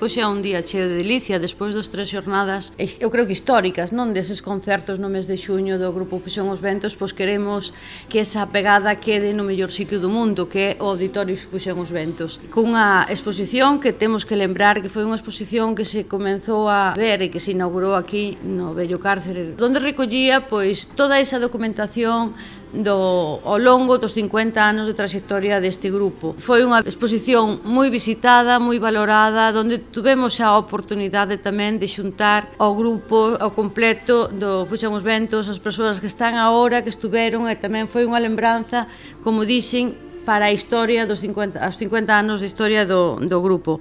Hoxe é un día cheo de delicia, despois das 3 xornadas, eu creo que históricas, non, deses concertos no mes de xuño do Grupo Fusión Os Ventos, pois queremos que esa pegada quede no mellor sitio do mundo, que é o Auditorio Fusión Os Ventos. Cunha exposición que temos que lembrar que foi unha exposición que se comenzou a ver e que se inaugurou aquí no vello cárcere, onde recollía pois toda esa documentación ao longo dos 50 anos de traxectoria deste grupo. Foi unha exposición moi visitada, moi valorada, onde tuvemos a oportunidade tamén de xuntar ao grupo ao completo do Fusión Os Ventos, as persoas que están agora, que estuveron, e tamén foi unha lembranza, como dixen, para a historia dos 50 anos de historia do grupo.